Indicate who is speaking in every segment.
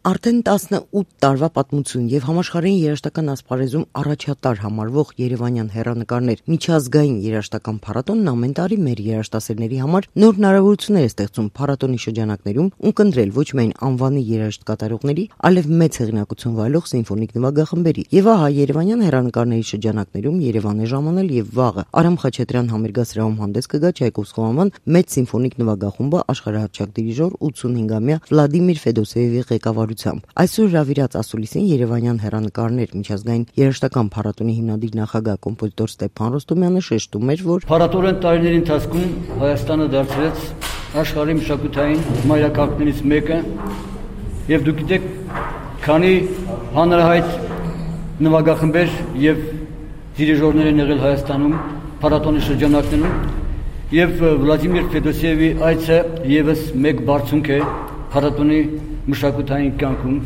Speaker 1: Արդեն 18 տարվա պատմություն եւ համաշխարհային երաժշտական ասպարեզում առաջատար համարվող երևանյան հեռանկարներ միջազգային երաժշտական փառատոնն ամեն տարի մեր երաժշտասերների համար նոր հնարավորություններ է ստեղծում փառատոնի շրջանակներում ունկնդրել ոչ միայն անվանի երաժշտ կատարողների, այլև մեծ հեղինակություն վայելող սիմֆոնիկ նվագախմբերի։ Եվ ահա երևանյան հեռանկարների շրջանակներում Երևան է ժամանել եւ վաղը Արամ Խաչատրյան համերգասրահում հանդես կգա Չայկովսկու անվան մեծ սիմֆոնիկ նվագախումբը աշխարհահռչակ դիրիժոր 85-ամյա Վլադիմիր Ֆեդոսեևի ղեկավարությամբ։ Այսօր հրավիրած ասուլիսին երևանյան հեռանկարներ միջազգային երաժշտական փառատոնի հիմնադիր նախագահ կոմպոզիտոր Ստեփան Ռոստոմյանը շեշտում էր, որ
Speaker 2: փառատոնային տարիների ընթացքում Հայաստանը դարձրեց աշխարհի մշակութային մայրաքաղաքներից մեկը, եւ դուք գիտեք, քանի հանրահայտ նվագախմբեր եւ դիրիժորներ են եղել Հայաստանում փառատոնի շրջանակներում, եւ Վլադիմիր Ֆեդոսեևի այցը եւս մեկ բարձունք է փառատոնի մշակութային կյանքում։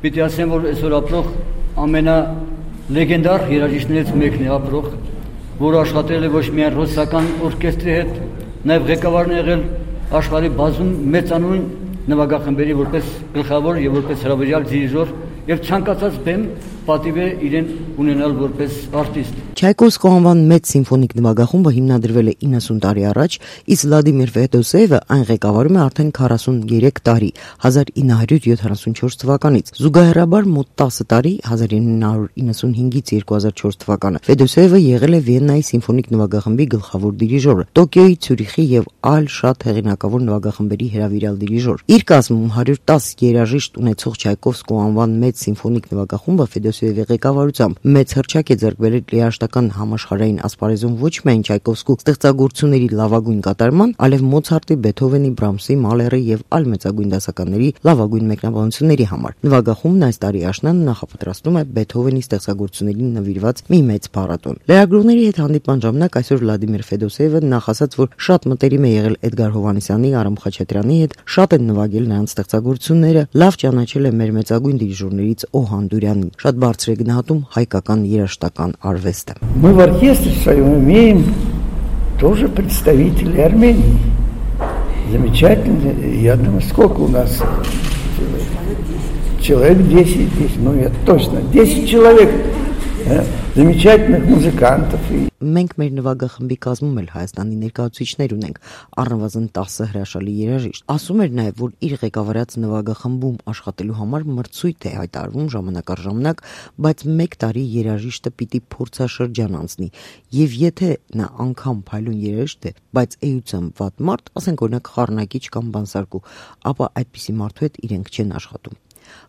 Speaker 2: Պիտի ասեմ, որ այսօր ապրող ամենալեգենդար երաժիշտներից մեկն է ապրող, որը աշխատել է ոչ միայն ռուսական օրկեստրի հետ, նաև ղեկավարն է եղել աշխարհի բազում մեծանուն նվագախմբերի որպես գլխավոր եւ որպես հրավիրյալ դիրիժոր եւ ցանկացած բեմ պատիվ է իրեն ունենալ որպես արտիստ։
Speaker 1: Չայկովսկու անվան մեծ սիմֆոնիկ նվագախումբը հիմնադրվել է 90 տարի առաջ, իսկ Վլադիմիր Ֆեդոսեևը այն ղեկավարում է արդեն 43 տարի, 1974 թվականից։ Զուգահեռաբար մոտ 10 տարի, 1995-ից 2004 թվականը, Ֆեդոսեևը եղել է Վիեննայի սիմֆոնիկ նվագախմբի գլխավոր դիրիժորը, Տոկիոյի, Ցյուրիխի եւ այլ շատ հեղինակավոր նվագախմբերի հրավիրյալ դիրիժոր։ Իր կազմում 110 երաժիշտ ունեցող Չայկովսկու անվան մեծ սիմֆոնիկ նվագախումբը Ֆեդոսեևի ղեկավարությամբ մեծ հռչակ է ձեռք բերել երաժշտական համաշխարհային ասպարեզում ոչ միայն Չայկովսկու ստեղծագործությունների լավագույն կատարման, այլև Մոցարտի, Բեթհովենի, Բրամսի, Մալերի եւ այլ մեծագույն դասականների լավագույն մեկնաբանությունների համար։ Նվագախումբն այս տարի աշնանը նախապատրաստում է Բեթհովենի ստեղծագործություններին նվիրված մի մեծ փառատոն։ Լրագրողների հետ հանդիպման ժամանակ այսօր Վլադիմիր Ֆեդոսեևը նախ ասաց, որ շատ մտերիմ է եղել Էդգար Հովհաննիսյանի, Արամ Խաչատրյանի հետ, շատ են նվագել նրանց ստեղծագործությունները, лав ճանաչել է մեր մեծագույն դիրիժորներից Օհան Դուրյանին, շատ բարձր է գնահատում հայկական երաժշտական արվեստը։
Speaker 3: Мы в оркестре своем имеем тоже представителей Армении. Замечательно. Я думаю, сколько у нас человек 10, ну я точно, 10 человек замечательных музыкантов.
Speaker 1: Մենք մեր նվագախմբի կազմում էլ Հայաստանի ներկայացուցիչներ ունենք, առնվազն 10 հրաշալի երաժիշտ։ Ասում էր նաև, որ իր ղեկավարած նվագախմբում աշխատելու համար մրցույթ է հայտարարվում ժամանակ առ ժամանակ, բայց մեկ տարի երաժիշտը պիտի փորձաշրջան անցնի, եւ եթե նա անգամ փայլուն երաժիշտ է, բայց էությամբ վատ մարդ, ասենք օրինակ խառնակիչ կամ բանսարկու, ապա այդպիսի մարդու հետ իրենք չեն աշխատում։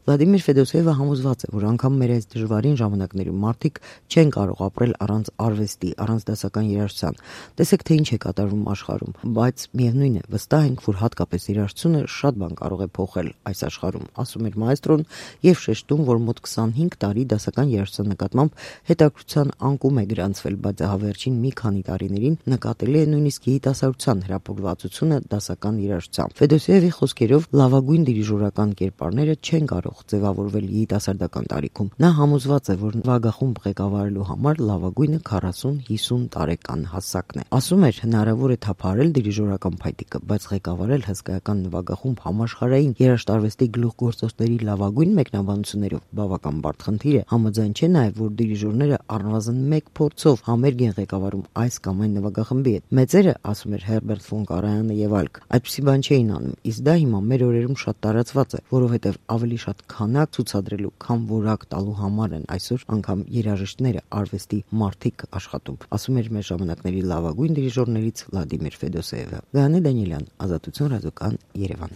Speaker 1: Վլադիմիր Ֆեդոսեևը համոզված է, որ անգամ մեր այս դժվարին ժամանակներում մարդիկ չեն կարող ապրել առանց արվեստի, առանց դասական երաժշտության։ Տեսեք, թե ինչ է կատարվում աշխարհում, բայց միևնույն է, վստահ ենք, որ հատկապես երաժշտությունը շատ բան կարող է փոխել այս աշխարհում, ասում էր մայստրոն եւ շեշտում, որ մոտ 25 տարի դասական երաժշտության նկատմամբ հետաքրքրության անկում է գրանցվել, բայց ահավերջին մի քանի տարիներին նկատելի է նույնիսկ երիտասարդության հրապուրվածությունը դասական երաժշտությամբ։ Ֆեդոսեևի խոսքերով լավագույն դիրիժորական կերպարները չեն կարող ձևավորվել երիտասարդական տարիքում։ Նա համոզված է, որ նվագախումբ ղեկավարելու համար լավագույնը 40-50 տարեկան հասակն է։ Ասում էր, հնարավոր է թափահարել դիրիժորական փայտիկը, բայց ղեկավարել հսկայական նվագախումբ համաշխարհային երաժշտարվեստի գլուխգործոցների լավագույն մեկնաբանություններով բավական բարդ խնդիր է։ Համաձայն չէ նաև, որ դիրիժորները առնվազն մեկ փորձով համերգ են ղեկավարում այս կամ այն նվագախմբի հետ։ Մեծերը, ասում էր Հերբերտ ֆոն Կարայանը եւ այլք, այդպիսի բան չէին անում, իսկ դա հիմա մեր օրերում շատ տարածված է, որովհետեւ ավելի շատ քանակ ցուցադրելու, քան որակ տալու համար են այսօր անգամ երաժիշտները, արվեստի մարդիկ աշխատում, ասում էր մեր ժամանակների լավագույն դիրիժորներից Վլադիմիր Ֆեդոսեևը։ Գայանե Դանիելյան, Ազատություն ռադիոկան, Երևան։